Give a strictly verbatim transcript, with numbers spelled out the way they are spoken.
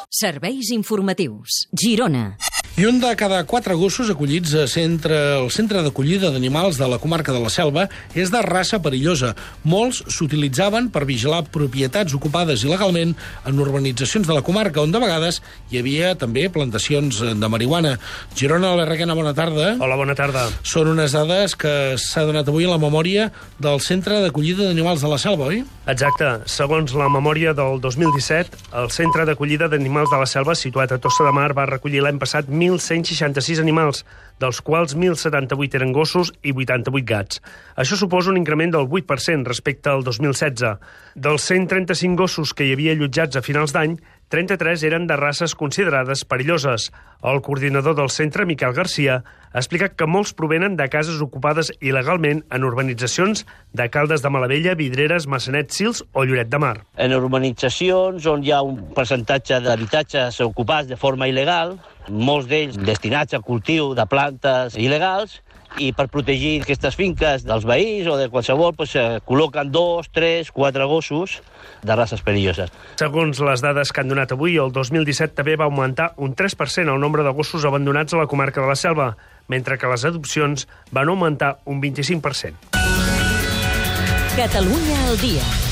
Serveis informatius. Girona. I un de cada quatre gossos acollits a centre, al centre d'acollida d'animals de la comarca de la Selva és de raça perillosa. Molts s'utilitzaven per vigilar propietats ocupades il·legalment en urbanitzacions de la comarca, on de vegades hi havia també plantacions de marihuana. Girona, Albert Requena, bona tarda. Hola, bona tarda. Són unes dades que s'ha donat avui a la memòria del Centre d'Acollida d'Animals de la Selva, oi? Exacte. Segons la memòria del dos mil disset, el Centre d'Acollida d'Animals de la Selva, situat a Tossa de Mar, va recollir l'any passat mil cent seixanta-sis animals, dels quals mil setanta-vuit eren gossos i vuitanta-vuit gats. Això suposa un increment del vuit per cent respecte al dos mil setze. Dels cent trenta-cinc gossos que hi havia allotjats a finals d'any, trenta-tres eren de races considerades perilloses. El coordinador del centre, Miquel Garcia, ha explicat que molts provenen de cases ocupades il·legalment en urbanitzacions de Caldes de Malavella, Vidreres, Massanet, Sils o Lloret de Mar. En urbanitzacions on hi ha un percentatge d'habitatges ocupats de forma il·legal, molts d'ells destinats a cultiu de plantes il·legals, i per protegir aquestes finques dels veïns o de qualsevol, doncs, col·loquen dos, tres, quatre gossos de races perilloses. Segons les dades que han donat avui, el dos mil disset també va augmentar un tres per cent el nombre de gossos abandonats a la comarca de la Selva, mentre que les adopcions van augmentar un vint-i-cinc per cent. Catalunya al dia.